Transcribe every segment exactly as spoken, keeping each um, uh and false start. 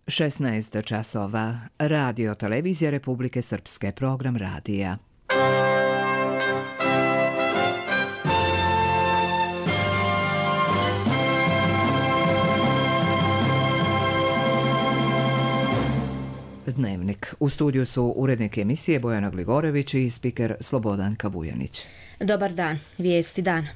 šesnaest časova. Radio Televizija Republike Srpske, program radija. Dnevnik. U studiju su urednik emisije Bojana Gligorević i spiker Slobodanka Vujanić. Dobar dan. Vijesti dana.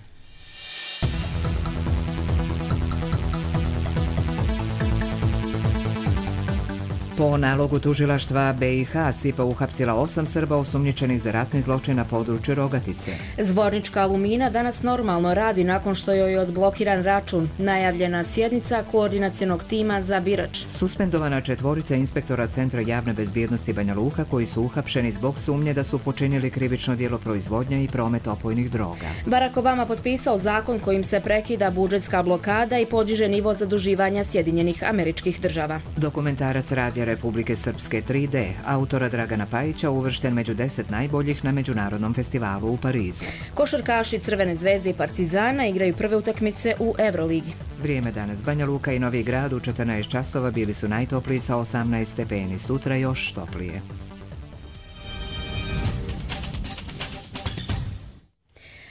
Po nalogu tužilaštva B i H S I P A uhapsila osam Srba osumnjičenih za ratni zločin na području Rogatice. Zvornička Alumina danas normalno radi nakon što joj je odblokiran račun. Najavljena sjednica koordinacionog tima za Birač. Suspendovana četvorica inspektora Centra javne bezbjednosti Banja Luka koji su uhapšeni zbog sumnje da su počinili krivično djelo proizvodnja i promet opojnih droga. Barack Obama potpisao zakon kojim se prekida budžetska blokada i podiže nivo zaduživanja Sjedinjenih Američkih Država. Dokumentarac Radija Republike Srpske tri D, autora Dragana Pajića, uvršten među deset najboljih na Međunarodnom festivalu u Parizu. Košarkaši Crvene zvezde i Partizana igraju prve utakmice u Euroligi. Vrijeme danas. Banja Luka i Novi Grad u četrnaest časova bili su najtopliji sa osamnaest stepeni, sutra još toplije.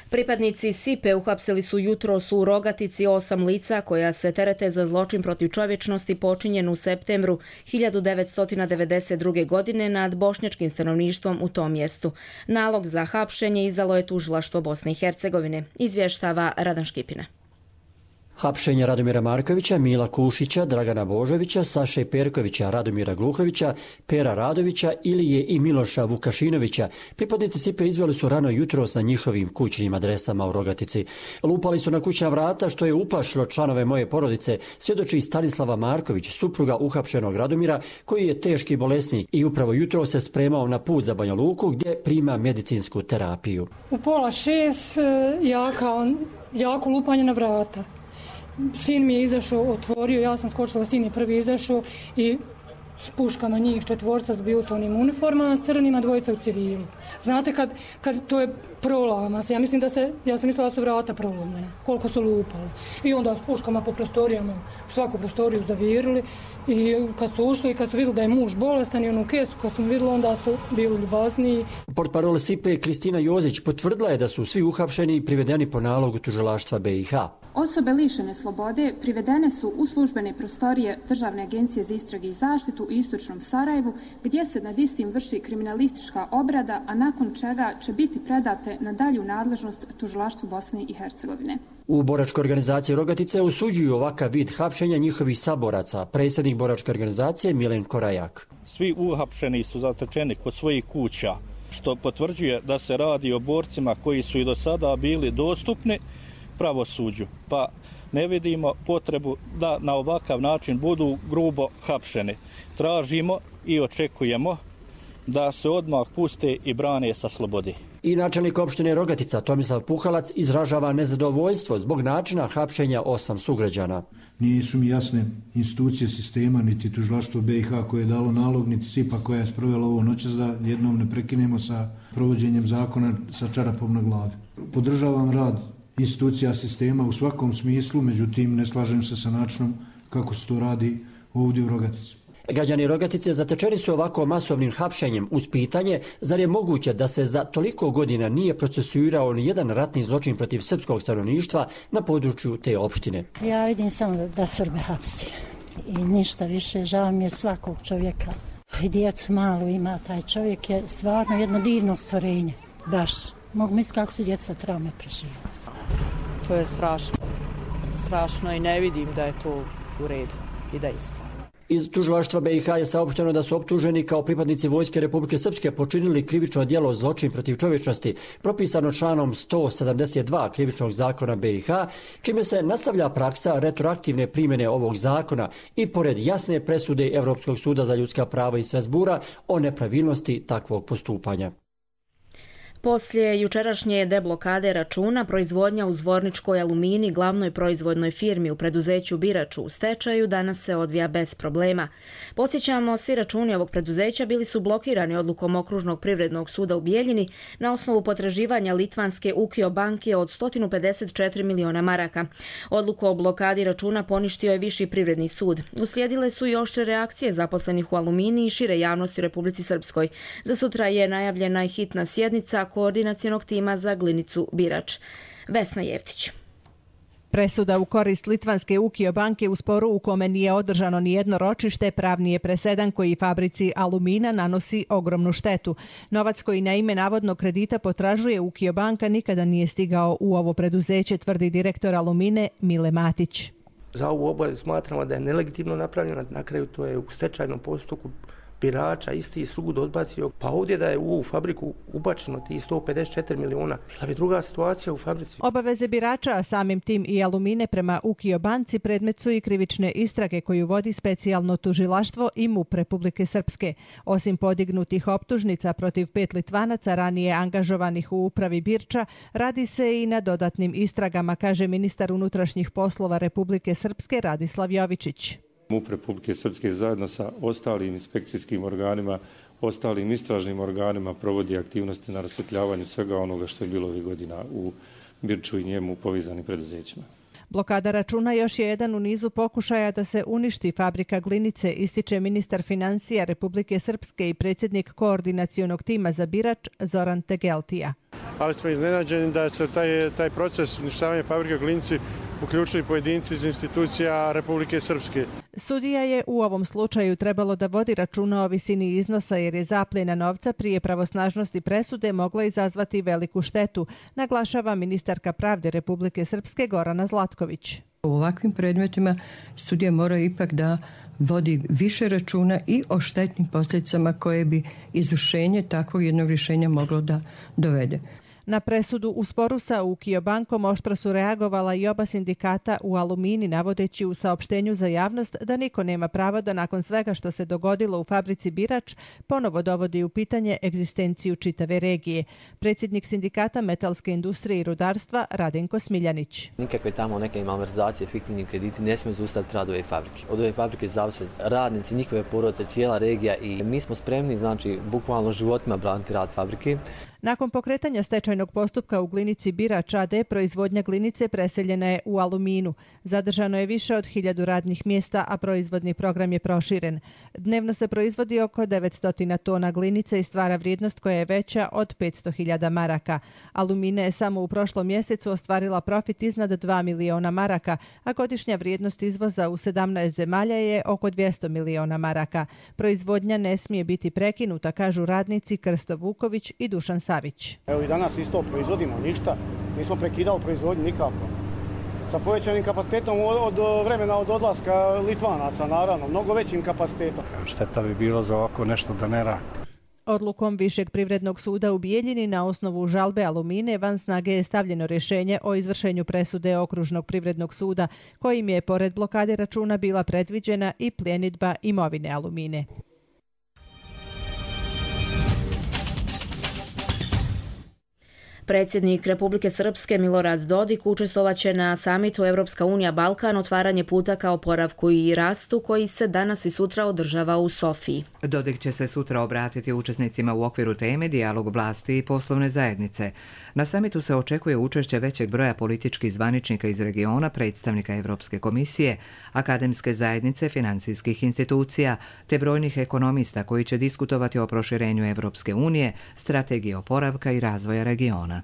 Pripadnici S I P A uhapsili su jutros u Rogatici osam lica koja se terete za zločin protiv čovječnosti počinjen u septembru hiljadu devetsto devedeset druge. godine nad bošnjačkim stanovništvom u tom mjestu. Nalog za hapšenje izdalo je tužilaštvo Bosne i Hercegovine, izvještava Radan Škipina. Hapšenje Radomira Markovića, Mila Kušića, Dragana Božovića, Saše Perkovića, Radomira Gluhovića, Pera Radovića, Ilije i Miloša Vukašinovića pripadnici S I P A izveli su rano jutros na njihovim kućnim adresama u Rogatici. Lupali su na kućna vrata što je uplašilo članove moje porodice, svjedoči Stanislava Marković, supruga uhapšenog Radomira koji je teški bolesnik i upravo jutro se spremao na put za Banja Luku gdje prima medicinsku terapiju. U pola šest jaka, jako lupanje na vrata. Sin mi je izašao, otvorio, ja sam skočila, sin je prvi izašao i s puškama njih četvorca s biuslovnim uniformama, crnima, dvojica u civilu. Znate, kad, kad to je prolama se, ja mislim da se, ja sam mislila da su vrata prolomljene, koliko su lupali. I onda s puškama po prostorijama, u svaku prostoriju zavirili i kad su ušli i kad su vidjeli da je muž bolestan i onu kesu kad su vidjeli, onda su bili ljubazniji. Portparol S I P A Kristina Jozić potvrdila je da su svi uhapšeni i privedeni po nalogu tužilaštva B i H. Osobe lišene slobode privedene su u službene prostorije Državne agencije za istrage i zaštitu u istočnom Sarajevu, gdje se nad istim vrši kriminalistička obrada, a nakon čega će biti predate na dalju nadležnost tužilaštvu Bosne i Hercegovine. U boračkoj organizaciji Rogatice osuđuju ovakav vid hapšenja njihovih saboraca, predsjednik boračke organizacije Milen Korajak. Svi uhapšeni su zatečeni kod svojih kuća, što potvrđuje da se radi o borcima koji su i do sada bili dostupni pravosuđu, pa ne vidimo potrebu da na ovakav način budu grubo hapšeni. Tražimo i očekujemo da se odmah puste i brane sa slobodi. I načelnik opštine Rogatica Tomislav Puhalac izražava nezadovoljstvo zbog načina hapšenja osam sugrađana. Nisu mi jasne institucije sistema, niti tužilaštvo B i H koje je dalo nalog, niti S I P A koja je sprovela ovo noćas da jednom ne prekinemo sa provođenjem zakona sa čarapom na glavi. Podržavam rad institucija sistema u svakom smislu, međutim ne slažem se sa načinom kako se to radi ovdje u Rogatici. Građani Rogatice zatečeni su ovako masovnim hapšenjem uz pitanje zar je moguće da se za toliko godina nije procesuirao ni jedan ratni zločin protiv srpskog stanovništva na području te opštine. Ja vidim samo da, da Srbe hapsi i ništa više, žao mi je svakog čovjeka. I djecu malu ima, taj čovjek je stvarno jedno divno stvorenje, baš. Mogu misliti kako su djeca traume preživjeli. To je strašno, strašno i ne vidim da je to u redu i da je ispravno. Iz tužilaštva B i H je saopšteno da su optuženi kao pripadnici Vojske Republike Srpske počinili krivično djelo zločin protiv čovječnosti, propisano članom sto sedamdeset dva krivičnog zakona B i H, čime se nastavlja praksa retroaktivne primjene ovog zakona i pored jasne presude Europskog suda za ljudska prava iz Strasbura o nepravilnosti takvog postupanja. Poslije jučerašnje deblokade računa, proizvodnja u Zvorničkoj Alumini, glavnoj proizvodnoj firmi u preduzeću Biraču u stečaju, danas se odvija bez problema. Podsjećamo, svi računi ovog preduzeća bili su blokirani odlukom Okružnog privrednog suda u Bijeljini na osnovu potraživanja litvanske Ukio banke od sto pedeset četiri miliona maraka. Odluku o blokadi računa poništio je Viši privredni sud. Uslijedile su i oštre reakcije zaposlenih u Alumini i šire javnosti u Republici Srpskoj. Za sutra je najavljena i hitna sjednica koordinacionog tima za glinicu Birač. Vesna Jevtić. Presuda u korist litvanske Ukio banke u sporu u kome nije održano ni jedno ročište pravni je presedan koji fabrici Alumina nanosi ogromnu štetu. Novac koji na ime navodnog kredita potražuje Ukio banka nikada nije stigao u ovo preduzeće, tvrdi direktor Alumine Mile Matić. Za ovu obavezu smatramo da je nelegitimno napravljena, na kraju to je u stečajnom postupku Birača isti sud odbacio, pa ovdje da je u ovu fabriku ubačeno ti sto pedeset četiri miliona, bila bi druga situacija u fabrici. Obaveze Birača, a samim tim i Alumine prema Ukio banci predmet su i krivične istrage koju vodi specijalno tužilaštvo i M U P Republike Srpske. Osim podignutih optužnica protiv pet Litvanaca ranije angažovanih u upravi Birča, radi se i na dodatnim istragama, kaže ministar unutrašnjih poslova Republike Srpske Radislav Jovičić. M U P Republike Srpske zajedno sa ostalim inspekcijskim organima, ostalim istražnim organima provodi aktivnosti na rasvjetljavanju svega onoga što je bilo ovih godina u Birču i njemu povezanim preduzećima. Blokada računa još je jedan u nizu pokušaja da se uništi fabrika glinice, ističe ministar financija Republike Srpske i predsjednik koordinacionog tima za Birač Zoran Tegeltija. Ali smo iznenađeni da se taj, taj proces uništavanja fabrike glinici uključili pojedinci iz institucija Republike Srpske. Sudija je u ovom slučaju trebalo da vodi računa o visini iznosa jer je zapljena novca prije pravosnažnosti presude mogla izazvati veliku štetu, naglašava ministarka pravde Republike Srpske Gorana Zlatković. U ovakvim predmetima sudija mora ipak da vodi više računa i o štetnim posljedicama koje bi izvršenje takvog jednog rješenja moglo da dovede. Na presudu u sporu sa Ukio bankom oštro su reagovala i oba sindikata u Alumini, navodeći u saopštenju za javnost da niko nema pravo da nakon svega što se dogodilo u fabrici Birač ponovo dovodi u pitanje egzistenciju čitave regije. Predsjednik sindikata metalske industrije i rudarstva Radenko Smiljanić. Nikakve tamo neke malverzacije, fiktivni krediti ne smiju zaustaviti rad ove fabrike. Od ove fabrike zavise radnici, njihove porodice, cijela regija i mi smo spremni, znači, bukvalno životima braniti rad fabrike. Nakon pokretanja stečajnog postupka u glinici Birač A D, proizvodnja glinice preseljena je u Aluminu. Zadržano je više od hiljadu radnih mjesta, a proizvodni program je proširen. Dnevno se proizvodi oko devetsto tona glinice i stvara vrijednost koja je veća od petsto hiljada maraka. Alumina je samo u prošlom mjesecu ostvarila profit iznad dva miliona maraka, a godišnja vrijednost izvoza u sedamnaest zemalja je oko dvjesto miliona maraka. Proizvodnja ne smije biti prekinuta, kažu radnici Krsto Vuković i Dušan Savić. Evo i danas isto proizvodimo ništa, nismo prekidali proizvodnju nikako. Sa povećanim kapacitetom od vremena od odlaska Litvanaca, naravno, mnogo većim kapacitetom. Šteta bi bilo za ovako nešto da ne radi. Odlukom Višeg privrednog suda u Bijeljini na osnovu žalbe Alumine van snage je stavljeno rješenje o izvršenju presude Okružnog privrednog suda, kojim je pored blokade računa bila predviđena i pljenidba imovine Alumine. Predsjednik Republike Srpske Milorad Dodik učestvovaće na samitu Evropska unija Balkan, otvaranje puta ka oporavku i rastu koji se danas i sutra održava u Sofiji. Dodik će se sutra obratiti učesnicima u okviru teme dijalog vlasti i poslovne zajednice. Na samitu se očekuje učešće većeg broja političkih zvaničnika iz regiona, predstavnika Evropske komisije, akademske zajednice, financijskih institucija te brojnih ekonomista koji će diskutovati o proširenju Evropske unije, strategiji oporavka i razvoja regiona.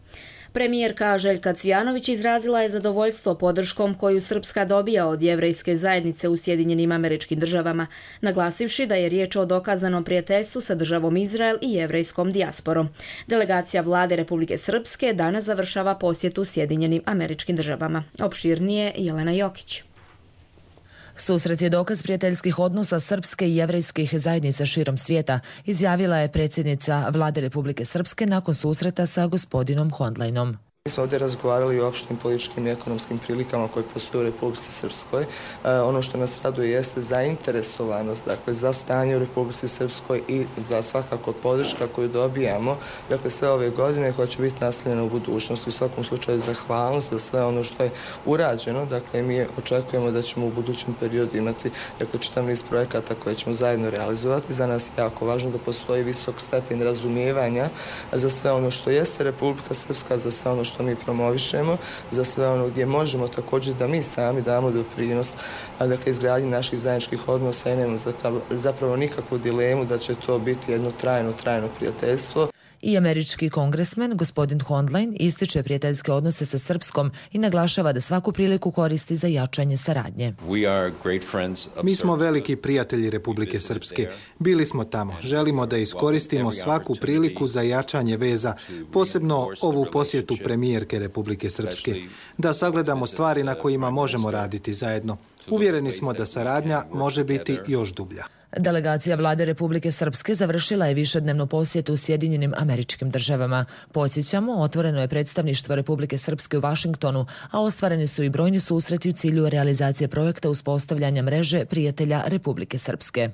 Premijerka Željka Cvijanović izrazila je zadovoljstvo podrškom koju Srpska dobija od jevrejske zajednice u Sjedinjenim Američkim Državama, naglasivši da je riječ o dokazanom prijateljstvu sa državom Izrael i jevrejskom dijasporom. Delegacija vlade Republike Srpske danas završava posjetu Sjedinjenim Američkim Državama. Opširnije Jelena Jokić. Susret je dokaz prijateljskih odnosa srpske i jevrejskih zajednica širom svijeta, izjavila je predsjednica vlade Republike Srpske nakon susreta sa gospodinom Hondlajnom. Mi smo ovdje razgovarali o opštim političkim i ekonomskim prilikama koje postoje u Republici Srpskoj. E, ono što nas raduje jeste zainteresovanost, dakle, za stanje u Republici Srpskoj i za svakako podrška koju dobijamo, dakle, sve ove godine koja će biti nastavljena u budućnosti. U svakom slučaju zahvalnost za sve ono što je urađeno, dakle, mi očekujemo da ćemo u budućem periodu imati, dakle, čitav niz projekata koje ćemo zajedno realizovati. Za nas je jako važno da postoji visok stepen razumijevanja za sve ono što jeste Republika Srpska, za sve ono što mi promovišemo, za sve ono gdje možemo također da mi sami damo doprinos, dakle, izgradnji naših zajedničkih odnosa i nemamo zapravo nikakvu dilemu da će to biti jedno trajno, trajno prijateljstvo. I američki kongresmen gospodin Hondline ističe prijateljske odnose sa Srpskom i naglašava da svaku priliku koristi za jačanje saradnje. Mi smo veliki prijatelji Republike Srpske. Bili smo tamo. Želimo da iskoristimo svaku priliku za jačanje veza, posebno ovu posjetu premijerke Republike Srpske, da sagledamo stvari na kojima možemo raditi zajedno. Uvjereni smo da saradnja može biti još dublja. Delegacija vlade Republike Srpske završila je višednevnu posjetu u Sjedinjenim Američkim Državama. Podsjećamo, otvoreno je predstavništvo Republike Srpske u Vašingtonu, a ostvareni su i brojni susreti u cilju realizacije projekta uspostavljanja mreže prijatelja Republike Srpske.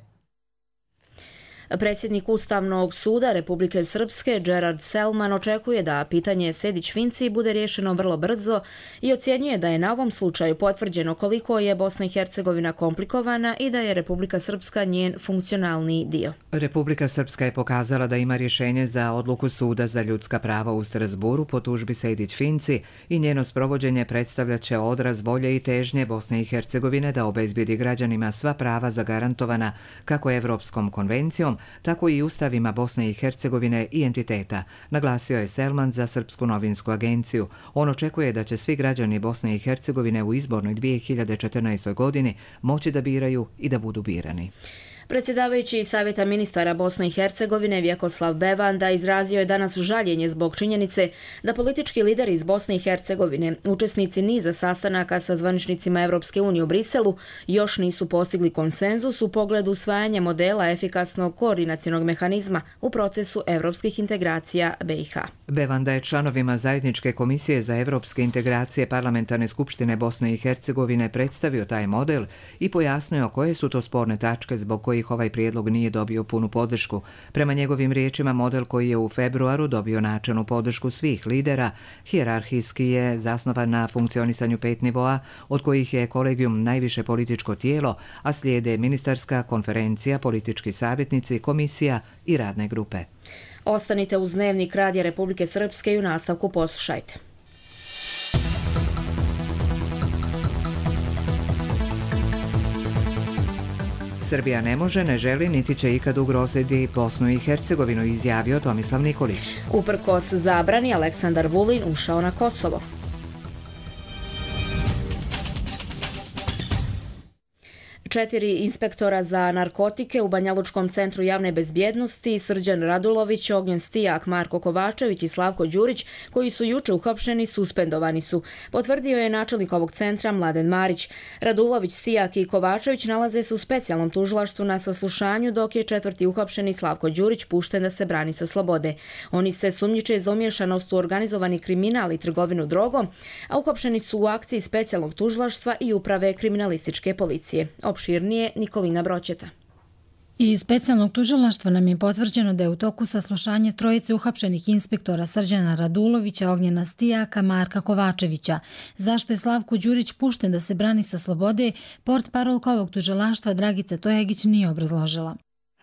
Predsjednik Ustavnog suda Republike Srpske Gerard Selman očekuje da pitanje Sejdić-Finci bude riješeno vrlo brzo i ocjenjuje da je na ovom slučaju potvrđeno koliko je Bosna i Hercegovina komplikovana i da je Republika Srpska njen funkcionalni dio. Republika Srpska je pokazala da ima rješenje za odluku Suda za ljudska prava u Strasburu po tužbi Sejdić-Finci i njeno sprovođenje predstavljaće odraz volje i težnje Bosne i Hercegovine da obezbijedi građanima sva prava zagarantovana kako Evropskom konvencijom, tako i ustavima Bosne i Hercegovine i entiteta, naglasio je Selman za Srpsku novinsku agenciju. On očekuje da će svi građani Bosne i Hercegovine u izbornoj dvije hiljade četrnaestoj. godini moći da biraju i da budu birani. Predsjedavajući Savjeta ministara Bosne i Hercegovine Vjekoslav Bevanda izrazio je danas žaljenje zbog činjenice da politički lideri iz Bosne i Hercegovine, učesnici niza sastanaka sa zvaničnicima Evropske unije u Briselu, još nisu postigli konsenzus u pogledu usvajanja modela efikasnog koordinacionog mehanizma u procesu evropskih integracija B i H. Bevanda je članovima Zajedničke komisije za evropske integracije Parlamentarne skupštine Bosne i Hercegovine predstavio taj model i pojasnio koje su to sporne tačke zbog kojih ovaj prijedlog nije dobio punu podršku. Prema njegovim riječima, model koji je u februaru dobio načelnu podršku svih lidera, hijerarhijski je zasnovan na funkcionisanju pet nivoa, od kojih je kolegijum najviše političko tijelo, a slijede ministarska konferencija, politički savjetnici, komisija i radne grupe. Ostanite uz Dnevnik Radija Republike Srpske i u nastavku poslušajte. Srbija ne može, ne želi, niti će ikad ugroziti Bosnu i Hercegovinu, izjavio Tomislav Nikolić. Uprkos zabrani, Aleksandar Vulin ušao na Kosovo. Četiri inspektora za narkotike u Banjalučkom centru javne bezbjednosti, Srđan Radulović, Ognjen Stijak, Marko Kovačević i Slavko Đurić, koji su juče uhapšeni, suspendovani su, potvrdio je načelnik ovog centra Mladen Marić. Radulović, Stijak i Kovačević nalaze se u specijalnom tužilaštvu na saslušanju, dok je četvrti uhapšeni Slavko Đurić pušten da se brani sa slobode. Oni se sumnjiče za umješanost u organizovani kriminal i trgovinu drogom, a uhapšeni su u akciji specijalnog tužilaštva i uprave kriminalističke policije. Opširnije Nikolina Broćeta. Iz specijalnog tužilaštva nam je potvrđeno da je u toku saslušanja trojice uhapšenih inspektora Srđana Radulovića, Ognjena Stijaka, Marka Kovačevića. Zašto je Slavko Đurić pušten da se brani sa slobode, portparolka ovog tužilaštva Dragica Tojagić nije obrazložila.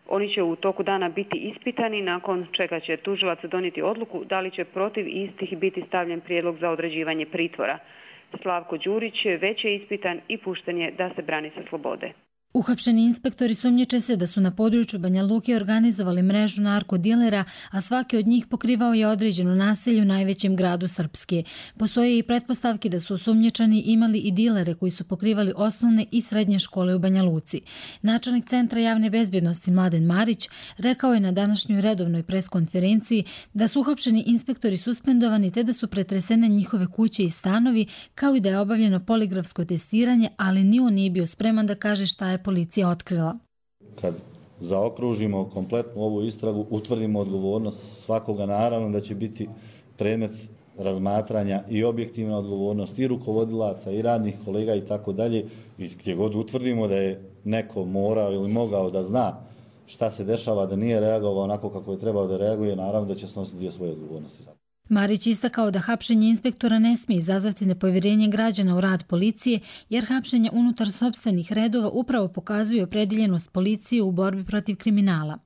Oni će u toku dana biti ispitani, nakon čega će tužilac donijeti odluku da li će protiv istih biti stavljen prijedlog za određivanje pritvora. Slavko Đurić već je ispitan i pušten je da se brani sa slobode. Uhapšeni inspektori sumnjiče se da su na području Banja Luke organizovali mrežu narkodilera, a svaki od njih pokrivao je određeno naselje u najvećem gradu Srpske. Postoje i pretpostavke da su osumnjičani imali i dilere koji su pokrivali osnovne i srednje škole u Banja Luci. Načelnik Centra javne bezbjednosti Mladen Marić rekao je na današnjoj redovnoj preskonferenciji da su uhapšeni inspektori suspendovani te da su pretresene njihove kuće i stanovi, kao i da je obavljeno poligrafsko testiranje, ali ni on nije bio spreman da kaže šta je policija otkrila. Kad zaokružimo kompletnu ovu istragu, utvrdimo odgovornost svakoga, naravno da će biti predmet razmatranja i objektivna odgovornost i rukovodilaca i radnih kolega i tako dalje. I gdje god utvrdimo da je neko morao ili mogao da zna šta se dešava, da nije reagovao onako kako je trebao da reaguje, naravno da će snositi dio svoje odgovornosti. Marić istakao da hapšenje inspektora ne smije izazvati nepovjerenje građana u rad policije, jer hapšenje unutar sopstvenih redova upravo pokazuje opredjeljenost policije u borbi protiv kriminala.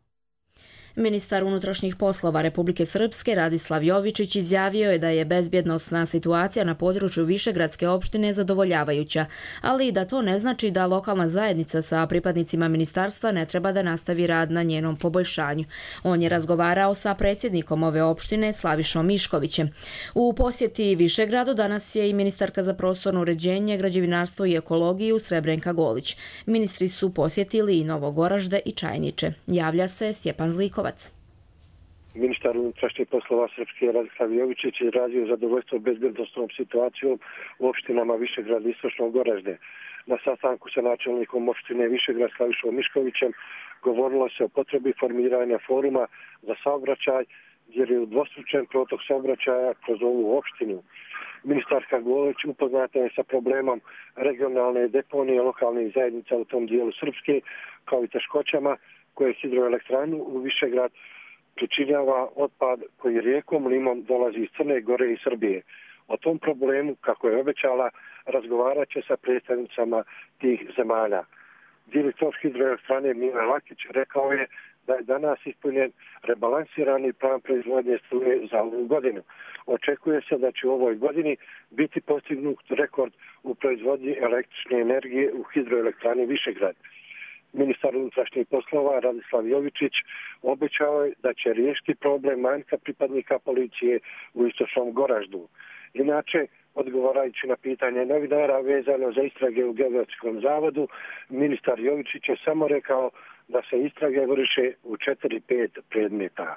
Ministar unutrašnjih poslova Republike Srpske Radislav Jovičić izjavio je da je bezbjednosna situacija na području Višegradske opštine zadovoljavajuća, ali i da to ne znači da lokalna zajednica sa pripadnicima ministarstva ne treba da nastavi rad na njenom poboljšanju. On je razgovarao sa predsjednikom ove opštine Slavišom Miškovićem. U posjeti Višegradu danas je i ministarka za prostorno uređenje, građevinarstvo i ekologiju Srebrenka Golić. Ministri su posjetili i Novo Goražde i Čajniče. Javlja se Stjepan Zlikovac. Ministar unutrašnjih poslova Srpske Radislav Jovičić izrazio zadovoljstvo bezbjednosnom situacijom u opštinama Višegrad i Istočno Goražde. Na sastanku sa načelnikom opštine Višegrad Slavišom Miškovićem govorilo se o potrebi formiranja foruma za saobraćaj, jer je udvostručen protok saobraćaja kroz ovu opštinu. Ministarka Golić upoznata je sa problemom regionalne deponije lokalnih zajednica u tom dijelu Srpske, kao i teškoćama koje hidroelektranu u Višegrad pričinjava otpad koji rijekom Limom dolazi iz Crne Gore i Srbije. O tom problemu, kako je obećala, razgovarat će sa predstavnicama tih zemalja. Direktor hidroelektrane Mile Lakić rekao je da je danas ispunjen rebalansirani plan proizvodnje struje za ovu godinu. Očekuje se da će u ovoj godini biti postignut rekord u proizvodnji električne energije u hidroelektrani Višegrad. Ministar unutrašnjih poslova Radislav Jovičić obećao je da će riješiti problem manjka pripadnika policije u Istočnom Goraždu. Inače, odgovarajući na pitanje novinara vezano za istrage u Geodetskom zavodu, ministar Jovičić je samo rekao da se istrage vrše u četiri pet predmeta.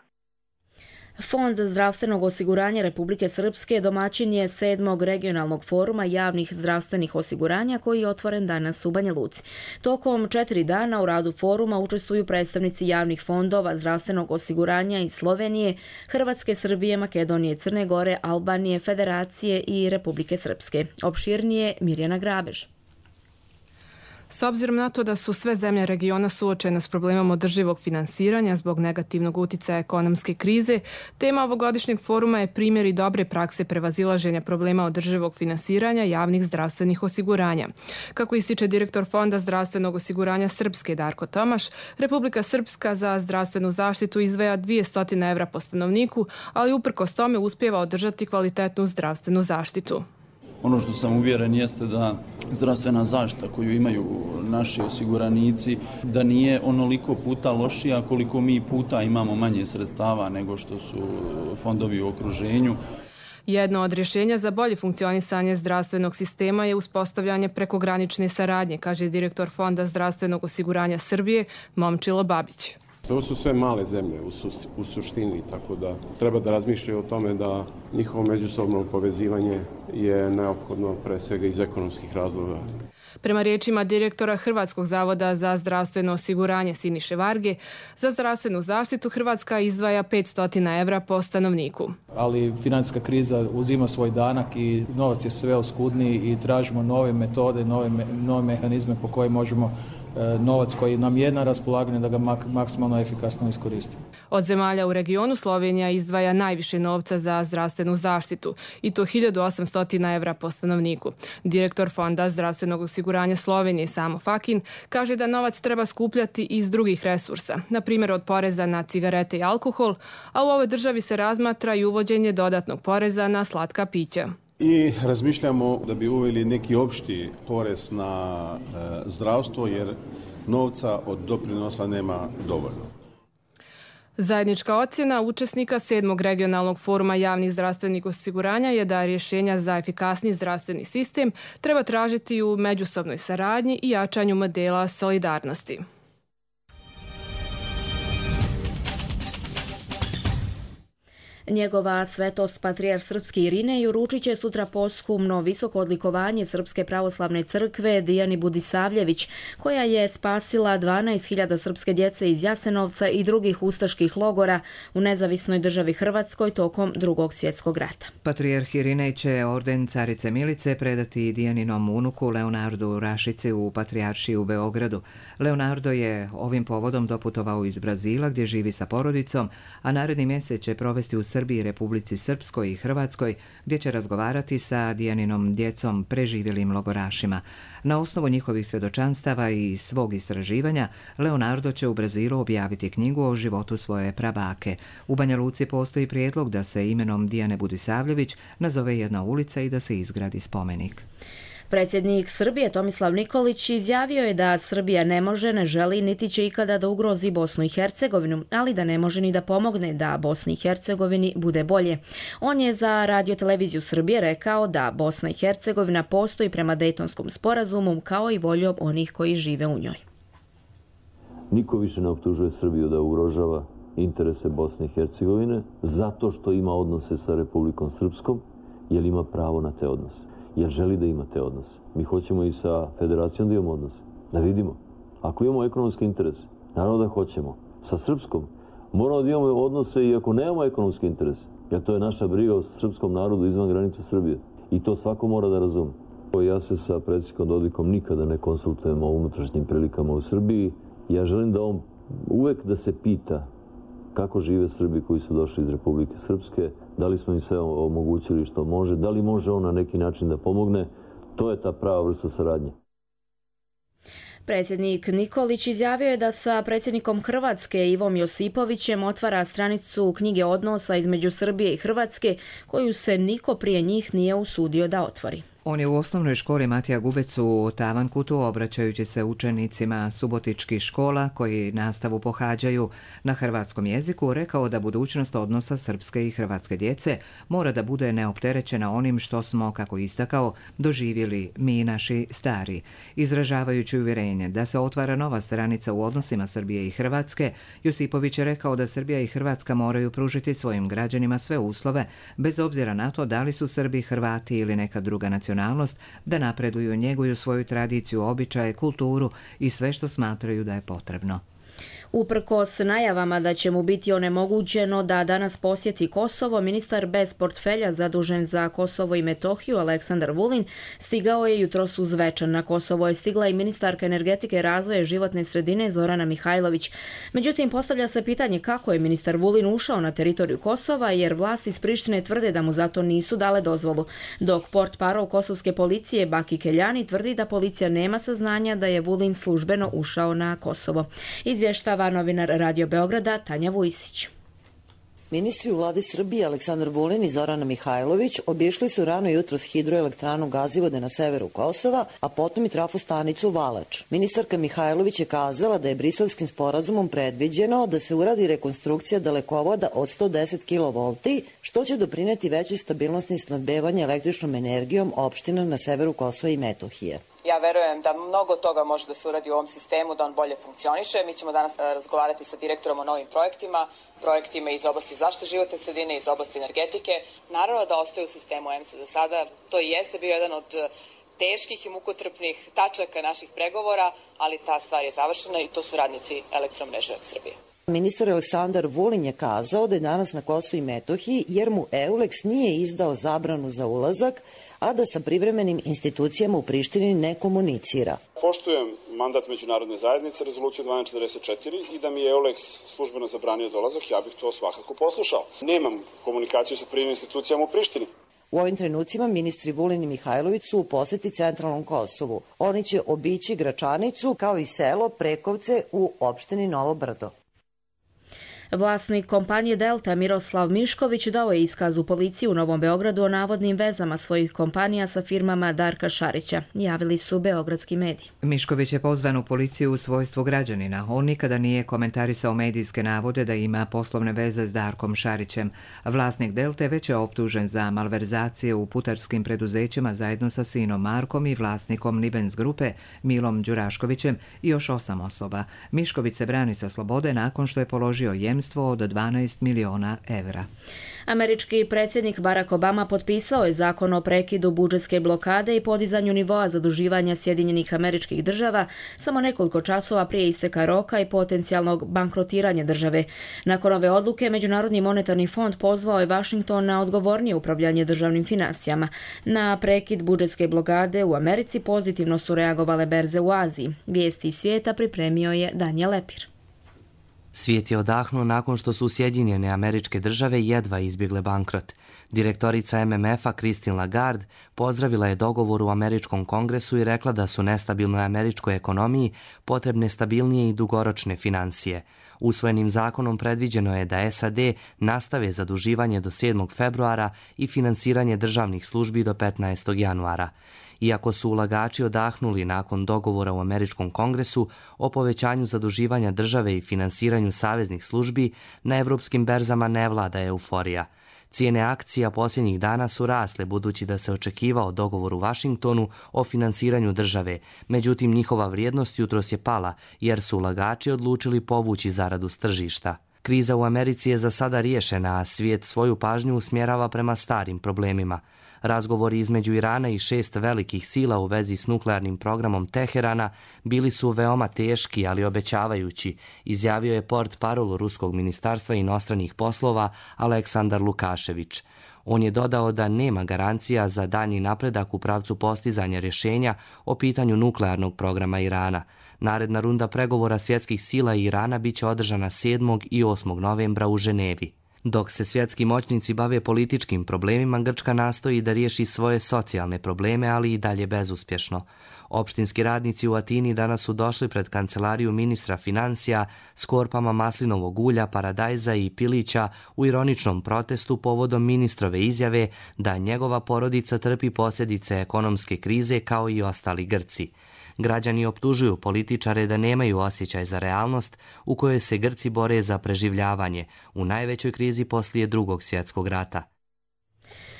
Fond zdravstvenog osiguranja Republike Srpske domaćin je sedmog regionalnog foruma javnih zdravstvenih osiguranja koji je otvoren danas u Banja Luci. Tokom četiri dana u radu foruma učestvuju predstavnici javnih fondova zdravstvenog osiguranja iz Slovenije, Hrvatske, Srbije, Makedonije, Crne Gore, Albanije, Federacije i Republike Srpske. Opširnije Mirjana Grabež. S obzirom na to da su sve zemlje regiona suočene s problemom održivog finansiranja zbog negativnog uticaja ekonomske krize, tema ovogodišnjeg foruma je primjer i dobre prakse prevazilaženja problema održivog finansiranja javnih zdravstvenih osiguranja. Kako ističe direktor Fonda zdravstvenog osiguranja Srpske Darko Tomaš, Republika Srpska za zdravstvenu zaštitu izdvaja dvjesto evra po stanovniku, ali uprkos tome uspijeva održati kvalitetnu zdravstvenu zaštitu. Ono što sam uvjeren jeste da zdravstvena zaštita koju imaju naši osiguranici, da nije onoliko puta lošija koliko mi puta imamo manje sredstava nego što su fondovi u okruženju. Jedno od rješenja za bolje funkcionisanje zdravstvenog sistema je uspostavljanje prekogranične saradnje, kaže direktor Fonda zdravstvenog osiguranja Srbije Momčilo Babić. Ovo su sve male zemlje u, su, u suštini, tako da treba da razmišljaju o tome da njihovo međusobno povezivanje je neophodno pre svega iz ekonomskih razloga. Prema riječima direktora Hrvatskog zavoda za zdravstveno osiguranje Siniše Varge, za zdravstvenu zaštitu Hrvatska izdvaja petsto evra po stanovniku. Ali financijska kriza uzima svoj danak i novac je sve oskudniji i tražimo nove metode, nove, nove mehanizme po koje možemo novac koji nam je na raspolaganju da ga mak- maksimalno efikasno iskoristimo. Od zemalja u regionu Slovenija izdvaja najviše novca za zdravstvenu zaštitu i to hiljadu osamsto evra po stanovniku. Direktor Fonda zdravstvenog osiguranja Slovenije Samo Fakin kaže da novac treba skupljati iz drugih resursa, na primjer od poreza na cigarete i alkohol, a u ovoj državi se razmatra i uvođenje dodatnog poreza na slatka pića. I razmišljamo da bi uveli neki opšti porez na e, zdravstvo jer novca od doprinosa nema dovoljno. Zajednička ocjena učesnika sedmog regionalnog foruma javnih zdravstvenih osiguranja je da rješenja za efikasniji zdravstveni sistem treba tražiti u međusobnoj saradnji i jačanju modela solidarnosti. Njegova svetost patrijarh srpski Irinej uručit će sutra posthumno visoko odlikovanje Srpske pravoslavne crkve Dijani Budisavljević, koja je spasila dvanaest hiljada srpske djece iz Jasenovca i drugih ustaških logora u nezavisnoj državi Hrvatskoj tokom Drugog svjetskog rata. Patrijarh Irinej će orden carice Milice predati Dijaninom unuku Leonardu Rašici u Patrijaršiji u Beogradu. Leonardo je ovim povodom doputovao iz Brazila gdje živi sa porodicom, a naredni mjesec će provesti u Srbiji, Republici Srpskoj i Hrvatskoj gdje će razgovarati sa Dijaninom djecom preživjelim logorašima. Na osnovu njihovih svjedočanstava i svog istraživanja Leonardo će u Brazilu objaviti knjigu o životu svoje prabake. U Banja Luci postoji prijedlog da se imenom Dijane Budisavljević nazove jedna ulica i da se izgradi spomenik. Predsjednik Srbije Tomislav Nikolić izjavio je da Srbija ne može, ne želi niti će ikada da ugrozi Bosnu i Hercegovinu, ali da ne može ni da pomogne da Bosni i Hercegovini bude bolje. On je za Radio-televiziju Srbije rekao da Bosna i Hercegovina postoji prema Dejtonskom sporazumu kao i voljom onih koji žive u njoj. Niko više ne optužuje Srbiju da ugrožava interese Bosne i Hercegovine zato što ima odnose sa Republikom Srpskom, jer ima pravo na te odnose. Jer želi da ima te odnose. Mi hoćemo i sa federacijom da imamo odnose. Da vidimo. Ako imamo ekonomske interese, naravno da hoćemo. Sa Srpskom moramo da imamo odnose i ako nemamo ekonomske interese. Jer to je naša briga o srpskom narodu izvan granica Srbije. I to svako mora da razume. Ja se sa predsjednikom Dodikom nikada ne konsultujem o unutrašnjim prilikama u Srbiji. Ja želim da on uvek da se pita kako žive Srbi koji su došli iz Republike Srpske, da li smo im sve omogućili što može, da li može on na neki način da pomogne, to je ta prava vrsta saradnje. Predsjednik Nikolić izjavio je da sa predsjednikom Hrvatske Ivom Josipovićem otvara stranicu knjige odnosa između Srbije i Hrvatske, koju se niko prije njih nije usudio da otvori. On je u osnovnoj školi Matija Gubec u Tavankutu, obraćajući se učenicima subotičkih škola koji nastavu pohađaju na hrvatskom jeziku, rekao da budućnost odnosa srpske i hrvatske djece mora da bude neopterećena onim što smo, kako istakao, doživjeli mi naši stari. Izražavajući uvjerenje da se otvara nova stranica u odnosima Srbije i Hrvatske, Josipović je rekao da Srbija i Hrvatska moraju pružiti svojim građanima sve uslove, bez obzira na to da li su Srbi, Hrvati ili neka druga nacionalnost, da napreduju, njeguju svoju tradiciju, običaje, kulturu i sve što smatraju da je potrebno. Uprkos najavama da će mu biti onemogućeno da danas posjeti Kosovo, ministar bez portfelja zadužen za Kosovo i Metohiju Aleksandar Vulin stigao je jutros uz večer. Na Kosovo je stigla i ministarka energetike, razvoja i životne sredine Zorana Mihajlović. Međutim, postavlja se pitanje kako je ministar Vulin ušao na teritoriju Kosova, jer vlasti iz Prištine tvrde da mu zato nisu dale dozvolu, dok portparol kosovske policije Baki Keljani tvrdi da policija nema saznanja da je Vulin službeno ušao na Kosovo. Izvještava novinar Radio Beograda Tanja Vujsić. Ministri u vladi Srbije Aleksandar Vulin i Zorana Mihajlović obišli su rano jutros hidroelektranu Gazivode na severu Kosova, a potom i trafostanicu Valač. Ministarka Mihajlović je kazala da je Briselskim sporazumom predviđeno da se uradi rekonstrukcija dalekovoda od sto deset kilovolti, što će doprineti većoj stabilnosti snabdevanja električnom energijom opština na severu Kosova i Metohije. Ja verujem da mnogo toga može da se uradi u ovom sistemu, da on bolje funkcioniše. Mi ćemo danas razgovarati sa direktorom o novim projektima, projektima iz oblasti zaštite životne sredine, iz oblasti energetike. Naravno da ostaje u sistemu E M S-a za sada. To i jeste bio jedan od teških i mukotrpnih tačaka naših pregovora, ali ta stvar je završena i to su radnici Elektromreže Srbije. Ministar Aleksandar Vulin je kazao da je danas na Kosovu i Metohiji jer mu Euleks nije izdao zabranu za ulazak, a da sa privremenim institucijama u Prištini ne komunicira. Poštujem mandat međunarodne zajednice, rezoluciju dvanaest četrdeset četiri, i da mi je Euleks službeno zabranio dolazak, ja bih to svakako poslušao. Nemam komunikaciju sa privremenim institucijama u Prištini. U ovim trenucima ministri Vulin i Mihajlović su u poseti centralnom Kosovu. Oni će obići Gračanicu kao i selo Prekovce u opštini Novo Brdo. Vlasnik kompanije Delta Miroslav Mišković dao je iskaz u policiji u Novom Beogradu o navodnim vezama svojih kompanija sa firmama Darka Šarića, javili su beogradski mediji. Mišković je pozvan u policiju u svojstvu građanina. On nikada nije komentarisao medijske navode da ima poslovne veze s Darkom Šarićem. Vlasnik Delte već je optužen za malverzacije u putarskim preduzećima zajedno sa sinom Markom i vlasnikom Nibens grupe Milom Đuraškovićem i još osam osoba. Mišković se brani sa slobode nakon što je položio jemen inozemstvo od dvanaest miliona evra. Američki predsjednik Barack Obama potpisao je zakon o prekidu budžetske blokade i podizanju nivoa zaduživanja Sjedinjenih Američkih Država samo nekoliko časova prije isteka roka i potencijalnog bankrotiranja države. Nakon ove odluke, Međunarodni monetarni fond pozvao je Washington na odgovornije upravljanje državnim finansijama. Na prekid budžetske blokade u Americi pozitivno su reagovale berze u Aziji. Vijesti iz svijeta pripremio je Danijel Lepir. Svijet je odahnuo nakon što su Sjedinjene Američke Države jedva izbjegle bankrot. Direktorica M M F-a Christine Lagarde pozdravila je dogovor u Američkom kongresu i rekla da su nestabilnoj američkoj ekonomiji potrebne stabilnije i dugoročne financije. Usvojenim zakonom predviđeno je da S A D nastave zaduživanje do sedmog februara i finansiranje državnih službi do petnaestog januara. Iako su ulagači odahnuli nakon dogovora u Američkom kongresu o povećanju zaduživanja države i finansiranju saveznih službi, na evropskim berzama ne vlada euforija. Cijene akcija posljednjih dana su rasle budući da se očekivao dogovor u Washingtonu o finansiranju države, međutim njihova vrijednost jutros je pala jer su ulagači odlučili povući zaradu s tržišta. Kriza u Americi je za sada riješena, a svijet svoju pažnju usmjerava prema starim problemima. Razgovori između Irana i šest velikih sila u vezi s nuklearnim programom Teherana bili su veoma teški, ali obećavajući, izjavio je portparol Ruskog ministarstva inostranih poslova Aleksandar Lukašević. On je dodao da nema garancija za daljnji napredak u pravcu postizanja rješenja o pitanju nuklearnog programa Irana. Naredna runda pregovora svjetskih sila i Irana bit će održana sedmog i osmog novembra u Ženevi. Dok se svjetski moćnici bave političkim problemima, Grčka nastoji da riješi svoje socijalne probleme, ali i dalje bezuspješno. Opštinski radnici u Atini danas su došli pred kancelariju ministra financija s korpama maslinovog ulja, paradajza i pilića u ironičnom protestu povodom ministrove izjave da njegova porodica trpi posljedice ekonomske krize kao i ostali Grci. Građani optužuju političare da nemaju osjećaj za realnost u kojoj se Grci bore za preživljavanje u najvećoj krizi poslije Drugog svjetskog rata.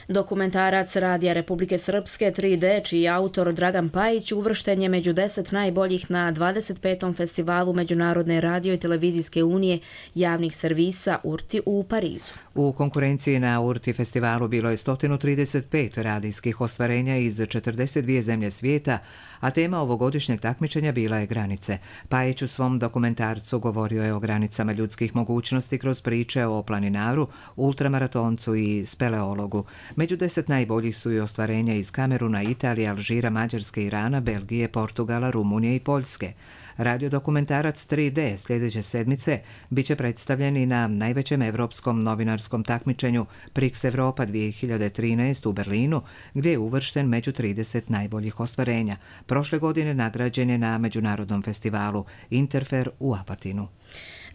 Dokumentarac Radija Republike Srpske tri D, čiji je autor Dragan Pajić, uvršten je među deset najboljih na dvadeset petom festivalu Međunarodne radio i televizijske unije javnih servisa U R T I u Parizu. U konkurenciji na U R T I festivalu bilo je sto trideset pet radijskih ostvarenja iz četrdeset dvije zemlje svijeta, a tema ovogodišnjeg takmičenja bila je granice. Pajić u svom dokumentarcu govorio je o granicama ljudskih mogućnosti kroz priče o planinaru, ultramaratoncu i speleologu. Među deset najboljih su i ostvarenja iz Kameruna, Italije, Alžira, Mađarske, Irana, Belgije, Portugala, Rumunije i Poljske. Radiodokumentarac tri D sljedeće sedmice biće predstavljen i na najvećem evropskom novinarskom takmičenju Prix Europa dvije hiljade trinaest u Berlinu, gdje je uvršten među trideset najboljih ostvarenja. Prošle godine nagrađen je na međunarodnom festivalu Interfer u Apatinu.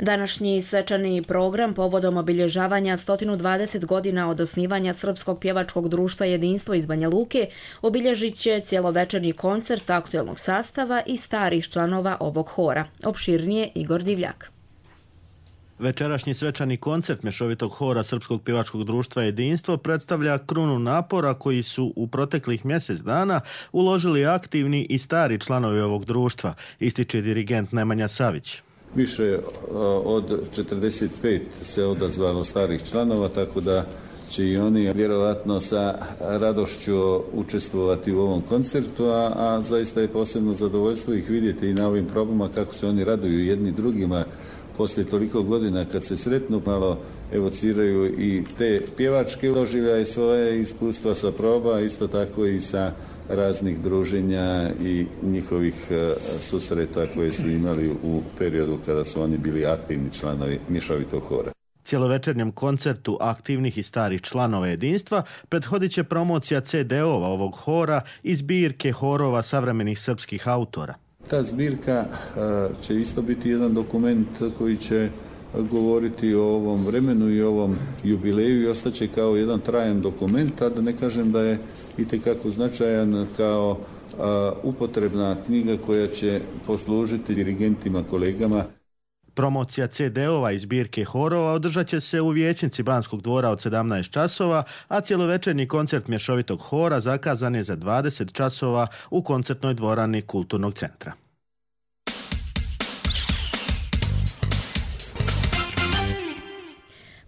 Današnji svečani program povodom obilježavanja sto dvadeset godina od osnivanja Srpskog pjevačkog društva Jedinstvo iz Banja Luke obilježit će cjelovečerni koncert aktuelnog sastava i starih članova ovog hora. Opširnije Igor Divljak. Večerašnji svečani koncert mješovitog hora Srpskog pjevačkog društva Jedinstvo predstavlja krunu napora koji su u proteklih mjesec dana uložili aktivni i stari članovi ovog društva, ističe dirigent Nemanja Savić. Više od četrdeset pet se odazvalo starih članova, tako da će i oni vjerovatno sa radošću učestvovati u ovom koncertu, a, a zaista je posebno zadovoljstvo ih vidjeti i na ovim probama kako se oni raduju jedni drugima poslije toliko godina kad se sretnu, malo evociraju i te pjevačke doživljaje, svoje iskustva sa proba, isto tako i sa raznih druženja i njihovih susreta koje su imali u periodu kada su oni bili aktivni članovi mješovitog hora. Cjelovečernjem koncertu aktivnih i starih članova Jedinstva prethodit će promocija ce de ova ovog hora i zbirke horova savremenih srpskih autora. Ta zbirka će isto biti jedan dokument koji će govoriti o ovom vremenu i ovom jubileju i ostaće kao jedan trajan dokument, a da ne kažem da je itekako značajan kao a, upotrebna knjiga koja će poslužiti dirigentima, kolegama. Promocija ce de ova i zbirke horova održat će se u vijećnici Banskog dvora od sedamnaest časova, a cjelovečernji koncert mješovitog hora zakazan je za dvadeset časova u koncertnoj dvorani Kulturnog centra.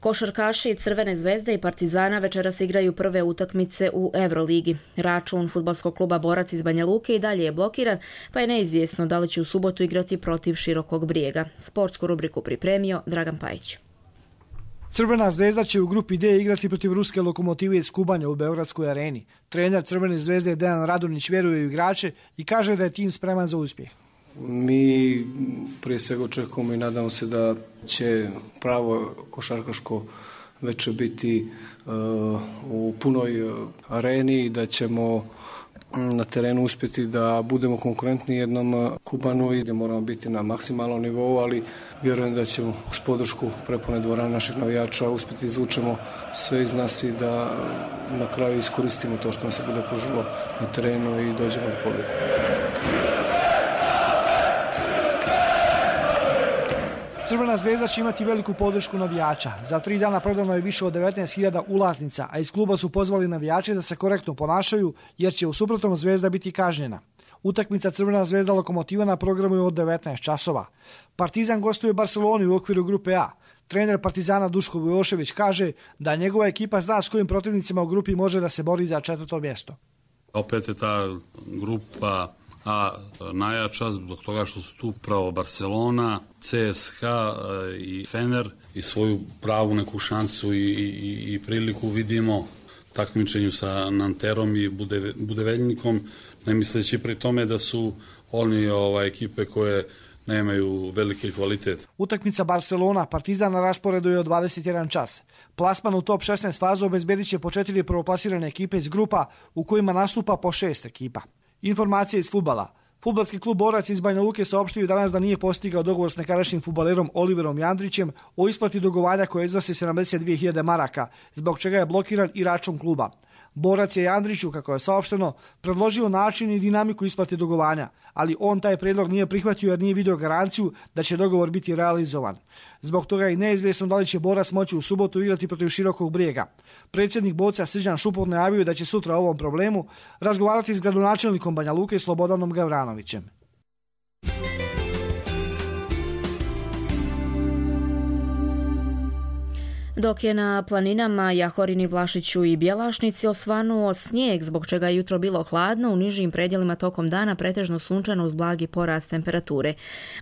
Košarkaši Crvene zvezde i Partizana večeras igraju prve utakmice u Euroligi. Račun fudbalskog kluba Borac iz Banja Luke i dalje je blokiran, pa je neizvjesno da li će u subotu igrati protiv Širokog Brijega. Sportsku rubriku pripremio Dragan Pajić. Crvena zvezda će u grupi D igrati protiv ruske Lokomotive iz Kubanja u Beogradskoj areni. Trener Crvene zvezde Dejan Radonjić vjeruje u igrače i kaže da je tim spreman za uspjeh. Mi prije svega očekujemo i nadamo se da će pravo košarkaško veče biti uh, u punoj areni i da ćemo na terenu uspjeti da budemo konkurentni jednom Kubanu i da moramo biti na maksimalnom nivou, ali vjerujem da ćemo uz podršku prepune dvorane naših navijača uspjeti izvučemo sve iz nas i da na kraju iskoristimo to što nam se bude pružilo na terenu i dođemo do pobjede. Crvena zvezda će imati veliku podršku navijača. Za tri dana prodano je više od devetnaest hiljada ulaznica, a iz kluba su pozvali navijače da se korektno ponašaju, jer će u suprotnom zvezda biti kažnjena. Utakmica Crvena zvezda Lokomotiva na programu je od devetnaest časova. Partizan gostuje u Barceloni u okviru grupe A. Trener Partizana Duško Vujošević kaže da njegova ekipa zna s kojim protivnicima u grupi može da se bori za četvrto mjesto. Opet je ta grupa A najjača zbog toga što su tu pravo Barcelona, C S K a, i Fener i svoju pravu neku šansu i, i, i priliku vidimo takmičenju sa Nanterom i Bude, Budeveljnikom, ne misleći pri tome da su oni ovaj, ekipe koje nemaju veliki kvalitet. Utakmica Barcelona Partizan na rasporedu je od dvadeset jedan čas. Plasman u top šesnaest fazu obezbedit će po četiri prvoplasirane ekipe iz grupa u kojima nastupa po šest ekipa. Informacije iz fudbala. Fudbalski klub Borac iz Banja Luke saopštio danas da nije postigao dogovor s nekadašnjim fudbalerom Oliverom Jandrićem o isplati dugovanja koje iznosi sedamdeset dvije hiljade maraka, zbog čega je blokiran i račun kluba. Borac je Jandriću, kako je saopšteno, predložio način i dinamiku isplate dugovanja, ali on taj prijedlog nije prihvatio jer nije vidio garanciju da će dogovor biti realizovan. Zbog toga je neizvjesno da li će Borac moći u subotu igrati protiv Širokog Brijega. Predsjednik Boca Srđan Šupot najavio da će sutra o ovom problemu razgovarati s gradonačelnikom Banja Luke Slobodanom Gavranovićem. Dok je na planinama Jahorini, Vlašiću i Bjelašnici osvanuo snijeg, zbog čega je jutro bilo hladno, u nižim predjelima tokom dana pretežno sunčano uz blagi porast temperature.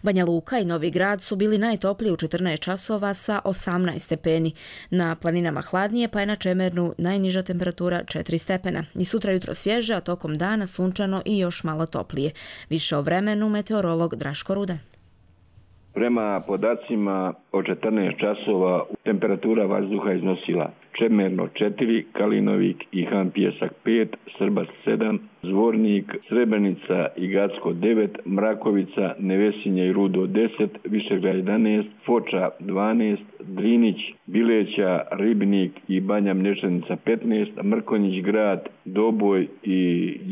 Banja Luka i Novi Grad su bili najtopliji u četrnaest časova sa osamnaest stepeni. Na planinama hladnije, pa je na Čemernu najniža temperatura četiri stepena. I sutra jutro svježe, a tokom dana sunčano i još malo toplije. Više o vremenu meteorolog Draško Rudan. Prema podacima od četrnaest časova temperatura vazduha iznosila Čemerno četiri, Kalinovik i Han Pijesak pet, Srbac sedam, Zvornik, Srebrenica i Gacko devet, Mrakovica, Nevesinje i Rudo deset, Višegrad jedanaest, Foča dvanaest, Drinić, Bileća, Ribnik i Banja Mlječanica petnaest, Mrkonjić Grad, Doboj i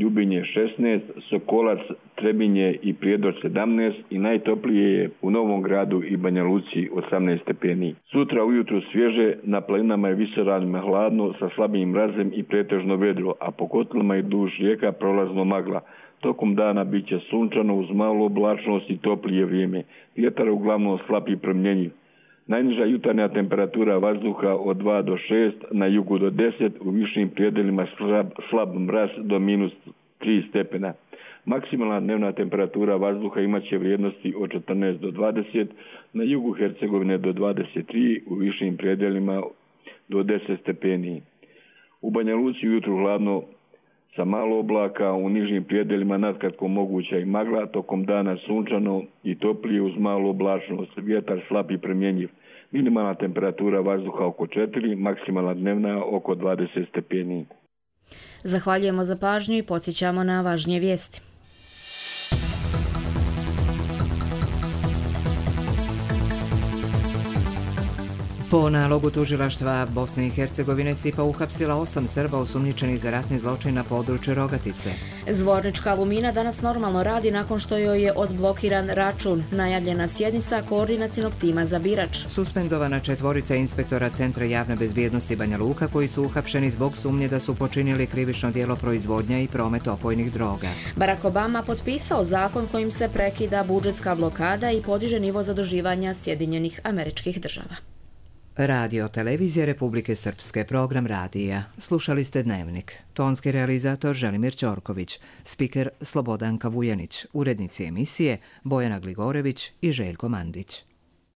Ljubinje šesnaest, Sokolac, Trebinje i Prijedor sedamnaest i najtoplije je u Novom Gradu i Banja Luci osamnaest stepeni. Sutra ujutru svježe, na planinama je visoravnima hladno sa slabim mrazem i pretežno vedro, a po kotlama i duž rijeka prolazno magla. Tokom dana bit će sunčano uz malu oblačnost i toplije vrijeme. Vjetar uglavnom slab i promjenjiv. Najniža jutarnja temperatura vazduha od dva do šest, na jugu do deset, u višim prijedelima slab, slab mraz do minus tri stepena. Maksimalna dnevna temperatura vazduha imaće vrijednosti od četrnaest do dvadeset, na jugu Hercegovine do dvadeset tri, u višim prijedelima do deset stepeni. U Banja Luci jutru hladno sa malo oblaka, u nižim prijedelima nadkratko moguća i magla, tokom dana sunčano i toplije uz malu oblačnost, vjetar slab i promjenjiv. Minimalna temperatura vazduha oko četiri, maksimalna dnevna oko dvadeset stepeni. Zahvaljujemo za pažnju i podsjećamo na važnije vijesti. Po nalogu tužilaštva Bosne i Hercegovine S I P A uhapsila osam Srba osumnjičenih za ratni zločin na području Rogatice. Zvornička Alumina danas normalno radi nakon što joj je odblokiran račun. Najavljena sjednica koordinacionog tima za Birač. Suspendovana četvorica inspektora Centra javne bezbjednosti Banja Luka koji su uhapšeni zbog sumnje da su počinili krivično djelo proizvodnja i promet opojnih droga. Barack Obama potpisao zakon kojim se prekida budžetska blokada i podiže nivo zaduživanja Sjedinjenih Američkih Država. Radio Televizija Republike Srpske, program radija. Slušali ste Dnevnik. Tonski realizator Želimir Ćorković, spiker Slobodanka Vujanić, urednici emisije Bojana Gligorević i Željko Mandić.